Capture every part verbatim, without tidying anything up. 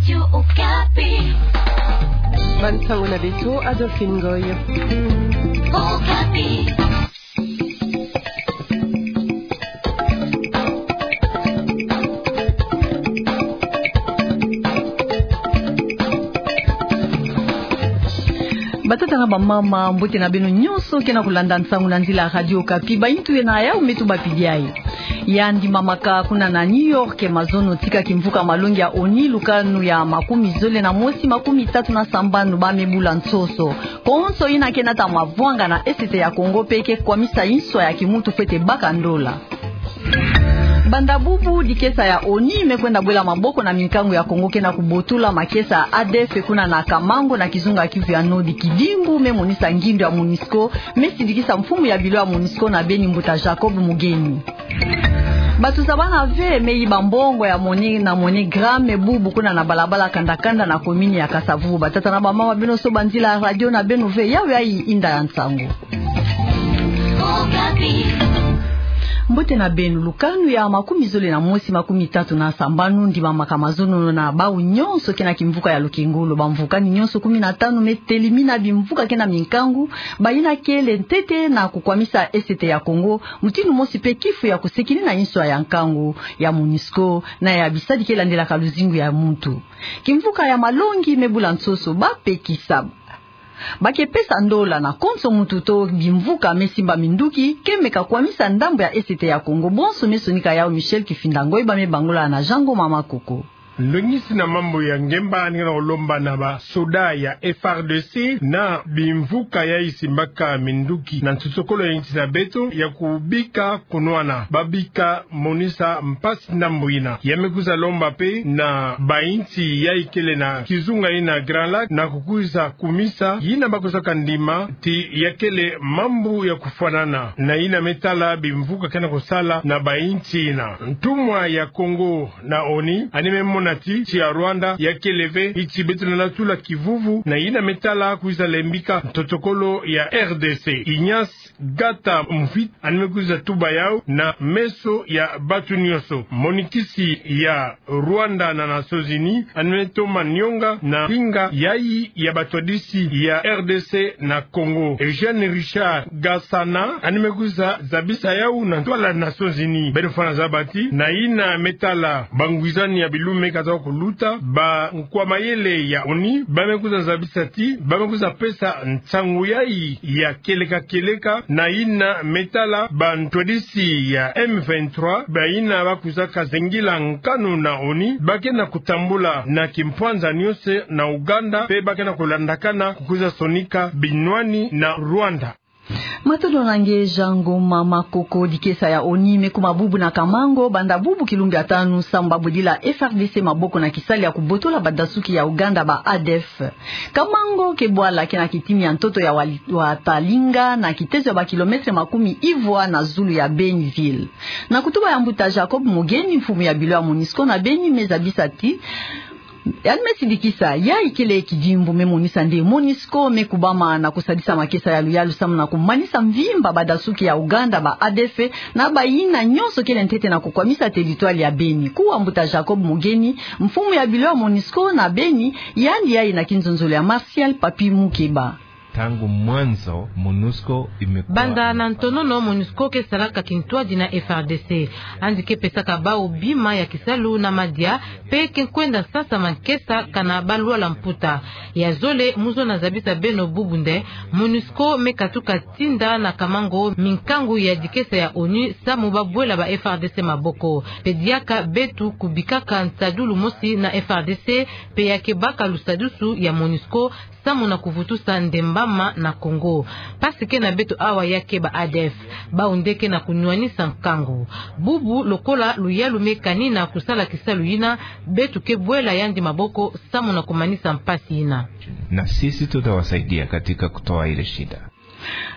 Radio Okapi. Bansango na beto, Adolphine Ngoy. Okapi. Batata na bamama, mbote na beno nyonso ke na kulanda nsangu na nzila ya Radio Okapi, baintu ye na yau me tubapidi ayi. Yandi mamaka kuna na New York mazono tika kimvuka malongi ya ONU, lukanu ya makumi zole na mosi makumi tatu na sambanu, ba me bula nsoso. Konso yina ke nata mavwanga na Est ya Congo pe ke kwamisa inswa ya kimuntu fwete baka ndola. Banda bubu, dikesa ya ONU me kwenda bwela maboko na minkangu ya Congo ke na kubotola makesa ya ADF kuna na Kamango na kizunga Kivu ya Nord. Kidimbu me monisa ngindu ya MONUSCO, me sidikisa mfumu ya bilo ya MONUSCO na beni, mbuta Jacob Mugeni. Bato zabana ve me yiba mbongo ya moni na MoneyGram bubu kuna na balabala Kandakanda na komini ya Kasa-Vubu. Batata na bamama, beno soba nzila ya radio na beno ve, yau yayi inda ya nsangu. Mbote na beno. Lukanu ya makumi zole na mosi makumi tatu na sambanu ndimamaka mazono na bau nyonso ke na kimvuka ya Lokengolo. Bamvukani nyonso kumi na tanu me telimina bimvuka ke na minkangu, bayina kele ntete na kukwamisa Est ya Congo, mutindu mosi pe kifu ya kusekini na inswa ya nkangu ya MONUSCO na ya bisadi ke landelaka luzingu ya muntu. Kimvuka ya malongi me bula nsoso, bapekisa, ba ke pesa ndola na konso muntu to bimvuka me simba minduki ke meka kwamisa ndambu ya Est ya Congo. Bonso me sonika yau Michel Kifinda Ngoy, ba me bangula na Jean Ngoma Makoko. Ndongisi na mambu ya ngemba, yandi ke na kulomba na basoda ya F R D C na bimvuka yayi simbaka minduki na nsosokolo ya insi na beto ya kubika kunwana, babika monisa mpasi ndambu yina. Ya me kwiza lomba pe na bainsi yayi kele na kizunga yina Grand Lac na kukwiza kumisa yina ba kwiza kandima ti ya kele mambu ya kufwanana na yina me tala bimvuka ke na kusala na bainsi yina. Ntumwa ya Congo na ONU yandi me mona ti nsi ya Rwanda ya kele ve nsi beto na latula kivuvu na yina me tala kwiza lembika nsosokolo ya R D C. Ignace Gata Mfit yandi me kwiza tuba yau na meso ya bato nyonso. Monikisi ya Rwanda na Nations Unies yandi me toma nionga na nkinga yayi ya batwadisi ya R D C na Congo. Eugène Richard Gasana yandi me kwiza zabisa yau na ntwala Nations Unies. Beto fwana zaba ti na yina me tala bangwizani ya bilume kata kuluta, bankwa mayele ya ONU ba me kwiza zabisa ti ba me kwiza pesa nsangu yayi ya kieleka kieleka na yina me tala bantwadisi ya M vingt-trois, bayina ba kwizaka zengila nkanu na ONU, ba ke na kutambula na kimpwanza nyonso na Ouganda, pe ba ke na kulandakana kukwiza sonika binwani na Rwanda. Matondo na nge Jean Ngoma Makoko. Dikesa ya ONU me kuma bubu na Kamango banda bubu kilumbu ya tanu samu ba bwedila F R D C maboko na kisalu ya kubotola badasuki ya Ouganda, ba A D F. Kamango ke bwala ke na kitini ya ntoto ya Wali-, Watalinga, na kitezo ya ba kilomètre makumi ivwa na zulu ya Beni ville. Na kutuba ya mbuta Jacob Mugeni, mfumu ya bilo ya MONUSCO na Beni, me zabisa ti yandi me sidikisa yayi kele kidimbu me monisa nde MONUSCO me kubama na kusadisa makesa ya luyalu samu na kumanisa mvimba badasuki ya Ouganda, ba A D F, na bayina nyonso kele ntete na kukwamisa territoire ya Beni. Kuwa mbuta Jacob Mugeni, mfumu ya bilo ya MONUSCO na Beni, yandi yayi na kinzonzolo ya Martial Papi Mukeba. Ntangu mwanzo MONUSCO imekuwa... Banda na ntonono, MONUSCO ke salaka kintwadi na F R D C. Yandi ke pesaka bau bima ya kisalu na madia, pe ke kwenda sasa mankesa kana ba lwala mputa. Ya zole, mu zola na zabisa beno bubu nde MONUSCO me katuka tinda na Kamango minkangu ya dikesa ya ONU samu ba bwela ba F R D C maboko. Pe diaka beto kubikaka nsadulu mosi na F R D C, pe ya ke baka lusadusu ya MONUSCO samu na kuvutusa ndembama na Congo. Mpasi ke na beto awa ya ke ba A D F, bau nde ke na kunwanisa nkangu. Bubu lokola luyalu me kani na kusala kisalu yina, beto ke bwela yandi maboko samu na kumanisa mpasi yina. Na sisi tutawasaidia katika kutoa ile shida.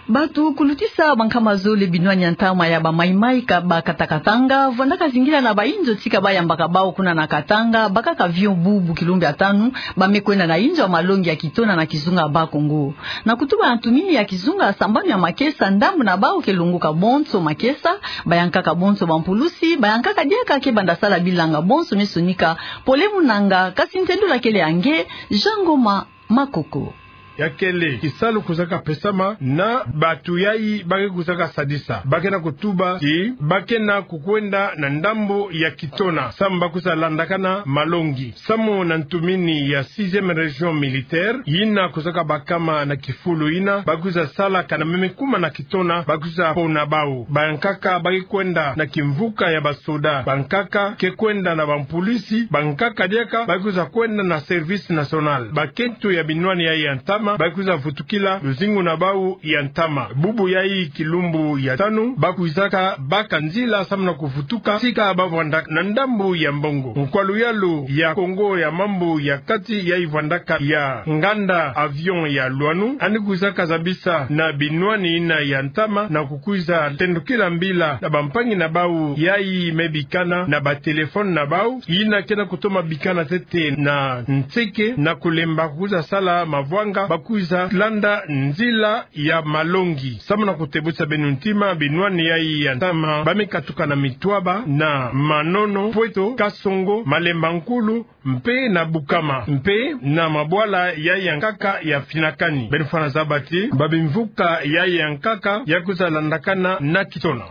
Bato kulutisa bankama zole binwani ya ntama ya ba Maï-Maï ka ba kata Katanga, vwandaka zingila na ba inzo tika ba yambaka bawu kuna na Katanga, bakaka avion bubu kilumbu ya tanu, ba me kwenda na inzo ya malongi ya Kitona na kizunga Bas-Congo. Na kutuba na ntumini ya kizunga, sambanu ya makesa, ndambu na bawu ke longoka bonso makesa, bayankaka bonso bampulusi, bayankaka diaka ke banda sala bilanga bonso me sonika, pole munanga, kasi ntendula kele ya nge, Jean Ngoma Makoko. Ya kele kisalu kwizaka pesama na bato yayi ba ke kwizaka sadisa. Ba ke na kutuba ti ba ke na kukwenda na ndambu ya Kitona, samu ba kwiza landakana malongi. Samu na ntumini ya sixième région militaire, yina kwizaka bakama na kifulu yina, ba kwiza sala kana meme kuma na Kitona, ba kwiza pona bawu. Bayankaka ba ke kwenda na kimvuka ya basoda, bankaka ke kwenda na bampu- lisi, bankaka diaka ba kwiza kwenda na service national. Bakento ya binwani yayi ya ntama ba kwiza vutukila luzingu na bawu ya ntama. Bubu yayi kilumbu ya tanu ba kwizaka baka nzila samu na kuvutuka tika ba vwandaka na ndambu ya mbongo. Nkwa luyalu ya Kongo ya mambu ya kati yayi vwandaka ya nganda avion ya Loineau, yandi kwizaka zabisa na binwani yina ya ntama na kukwiza tendukila mbila na bampangi na bawu yayi me bikana na batelefone na bawu, yina ke na kutoma bikana ntete na nseke, na kulemba kwiza sala mavwanga, ba kwiza landa nzila ya malongi. Samu na kutebwisa beno ntima, binwani yayi ya ntama ba me katuka na Mitwaba, na Manono, Pweto, Kasongo, Malemba Nkulu, mpe na Bukama, mpe na mabwala yayi ya nkaka ya Finakani. Beno fwana zaba ti ba bimvuka yayi ya nkaka ya kwiza landakana na Kitona.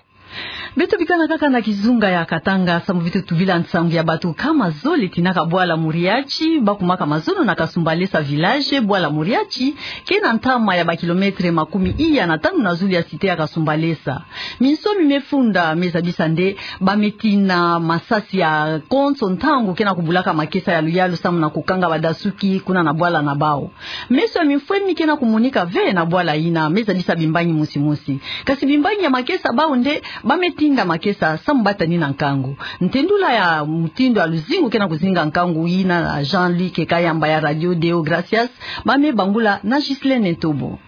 Beto bikana kaka na kizunga ya Katanga, samu beto tubila nsangu ya bato kama zole tinaka bwala Muriachi, ba kumaka mazono na Kasumbalesa village. Bwala Muriachi ke na ntama ya ba kilomètre makumi iya na tanu na zulu ya cité ya Kasumbalesa. Minsoni me funda me zabisa nde ba me tina masasi ya konso ntangu ke na kubulaka makesa ya luyalu samu na kukanga badasuki kuna na bwala na bawu. Meso ya mimfwemi ke na kumonika ve na bwala yina, me zabisa bimbangi mosi mosi. Kasi bimbangi ya makesa, bawu nde ba me tinda makesa samu ba tanina nkangu. Ntendula ya mutindu ya luzingu ke na kuzinga nkangu yina na Jean-Luc Kayamba ya Radio Deo Gracias, ba me bangula na Ghislaine Ntobo.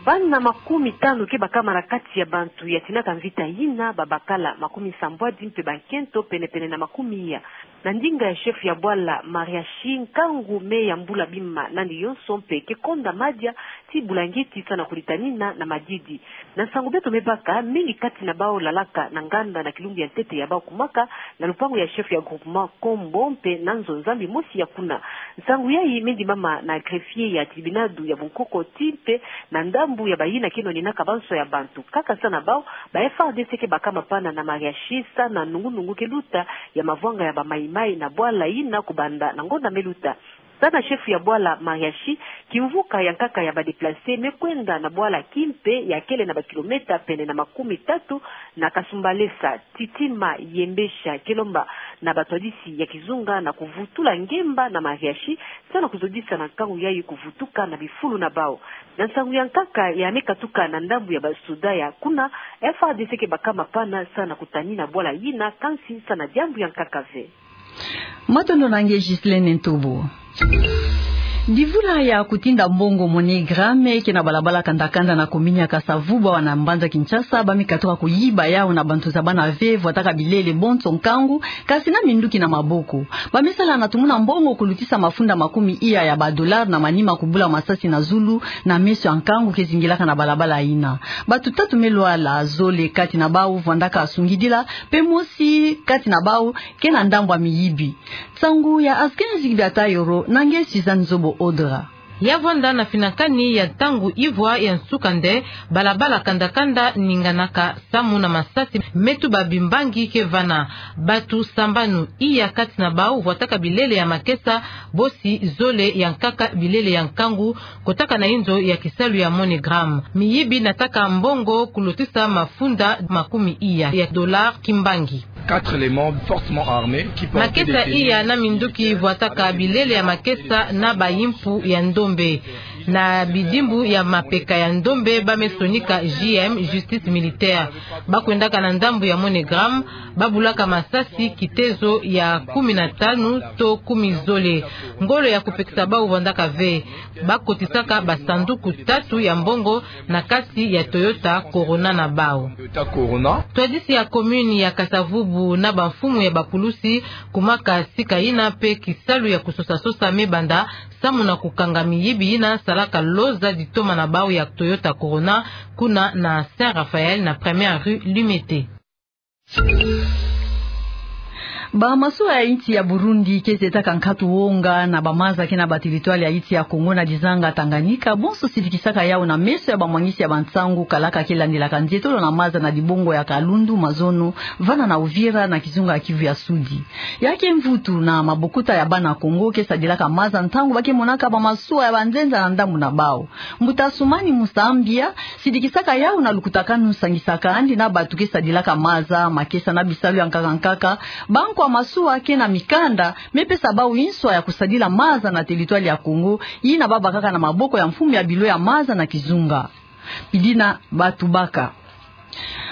Bana makumi tanu ke bakama na kati ya bantu ya tinaka mvita yina, babakala makumi sambwadi mpe bankento pene-pene na makumi iya. Na ndinga ya chef ya bwala Mariachi, nkangu me yambula bima nani yonso mpe ke konda madia ti bulangeti samu na kulitanina na madidi. Na nsangu beto me baka, mingi kati na bawu lalaka na nganda na kilumbu ya ntete ya bawu kumaka na lupangu ya chef ya groupement Kombo mpe na nzo-nzambi mosi ya kuna. Nsangu yayi me ndimama na greffier ya tribunal ya bunkoko ti mpe na ndambu ya bayina ke nwaninaka banso ya bantu. Kaka samu na bawu, ba F A R D C ke bakama pana na Mariachi samu na nungu-nungu ke luta ya mavwanga ya ba Maï-Maï na bwala yina kubanda na ngonda me luta. Samu na chef ya bwala Mariachi, kimvuka ya nkaka ya ba déplacés me kwenda na bwala kimpe ya kele na ba kilomètre pene na makumi tatu na Kasumbalesa, Titima, Yembesha, ke lomba na batwadisi ya kizunga na kuvutula ngemba na Mariachi, samu na kuzodisa na nkangu yayi kuvutuka na bifulu na bawu. Na nsangu ya nkaka ya me katuka na ndambu ya basoda ya kuna, F A R D C ke bakama pana samu na kutanina bwala yina, kansi samu na diambu ya nkaka ve. Matondo na nge Ghislaine Ntobo. Divula ya kutinda mbongo MoneyGram ke na balabala Kanda-Kanda na komini ya Kasa-Vubu awa na mbanza Kinshasa, ba me katuka kuyiba yawu na bantu zabana ve, vwataka bilele bonso nkangu, kasi na minduki na maboko. Ba me sala na tumuna mbongo kulutisa mafunda makumi iya ya ba dollars na manima kubula masasi na zulu na meso ya nkangu ke zingilaka na balabala yina. Bato tatu me lwala, zole kati na bawu vwandaka sungidila, mpe mosi kati na bawu ke na ndambu ya miyibi. Nsangu ya Askin Zigbi Atayoro na nge Suzanne Zobo Odra. Ya vwanda na Finakani ya ntangu ivwa ya nsuka nde balabala Kanda-Kanda ninganaka samu na masasi me tuba bimbangi ke vana. Bato sambanu, iya kati na bawu vwataka bilele ya makesa, bosi zole ya nkaka bilele ya nkangu, kotaka na inzo ya kisalu ya MoneyGram. Miyibi nataka mbongo kulutisa mafunda makumi iya ya dollars kimbangi. Quatre éléments fortement armés qui portaient des tenues militaires. Makesa iya na minduki vwataka bilele ya makesa na bayimpu ya ndombe. Na bidimbu ya mapeka ya ndombe, ba me sonika J M, justice militaire. Ba kwendaka na ndambu ya MoneyGram, ba bulaka masasi kitezo ya kumi na tanu to kumi zole. Ngolo ya kopekisa bau vandaka ve. Ba kotisaka basanduku tatu ya mbongo na kati ya Toyota Corona na bau. Toyota Corona. Ntwadisi ya commune ya Kasa-Vubu na bamfumu ya bapulusi kumaka sika yina mpe kisalu ya kososa-sosa me banda samu na kokanga miyibi yina salaka loza ditoma na bau ya Toyota Corona kuna na Saint Raphaël na première rue Limete. Bamasuwa ya insi ya Burundi ke zetaka nkatu wonga na bamaza ke na bateritware ya insi ya Kongo na dizanga Tanganyika, bonso sidikisaka yau na meso ya bamwangisi ya bansangu kalaka ke landilaka nzietolo na maza na dibongo ya Kalundu, Mazono, vana na Uvira na kizunga ya Kivu ya Sudi. Ya ke mvutu na mabokuta ya bana Kongo ke sadilaka maza ntangu ba ke monaka bamasuwa ya banzenza na ndambu na bau. Mbuta Assoumani Moussa Mbia sidikisaka yau na lukutakanu sangisaka andi na batu ke sadilaka maza, makesa na bisalu ya nkaka nkaka, bankwa masuwa ke na mikanda, me pesa bau nswa ya kosadila maza na teritware ya Kongo, yina babakaka na maboko ya mfumu ya bilo ya maza na kizunga. Pidina Batubaka.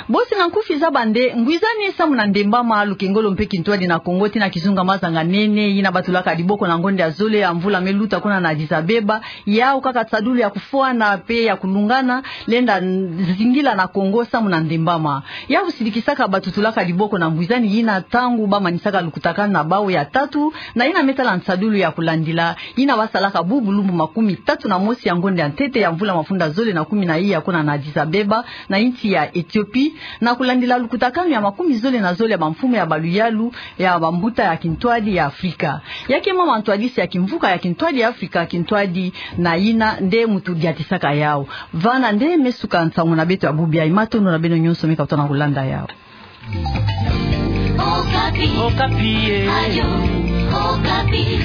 Bosi na nkufi za bande, ngwizani samu na ndembama, lukengolo mpe kintwadi na Kongo tii na kizunga Mazanga Nene, yina batulaka diboko na ngonde ya zole ya mvula me luta kuna na Addis Abeba, yau kaka nsadulu ya kufwana mpe ya kulungana, lenda n-, zingila na Kongo samu na ndembama. Yau sidikisaka batu tulaka diboko na ngwizani yina ntangu bamanisaka lukutakanu na bau ya tatu, na yina me tala nsadulu ya kulandila, yina basalaka bubu lumbu makumi tatu na mosi ya ngonde ya ntete ya mvula mafunda zole na kumi na iya kuna na Addis Abeba, na insi ya Ethiopie, na kulandila lukutakanu ya makumi zole na zole ya bamfumu ya baluyalu ya bambuta ya kintwadi ya Afrika. Ya ke mama ntwadisi ya kimvuka ya kintwadi ya Afrika, kintwadi na yina nde mutu diatisaka yau. Vana nde me suka nsangu na beto ya bubu yayi, matondo na beno nyonso me katuka na kulanda yau. Okapi. Okapi, eh. Radio Okapi.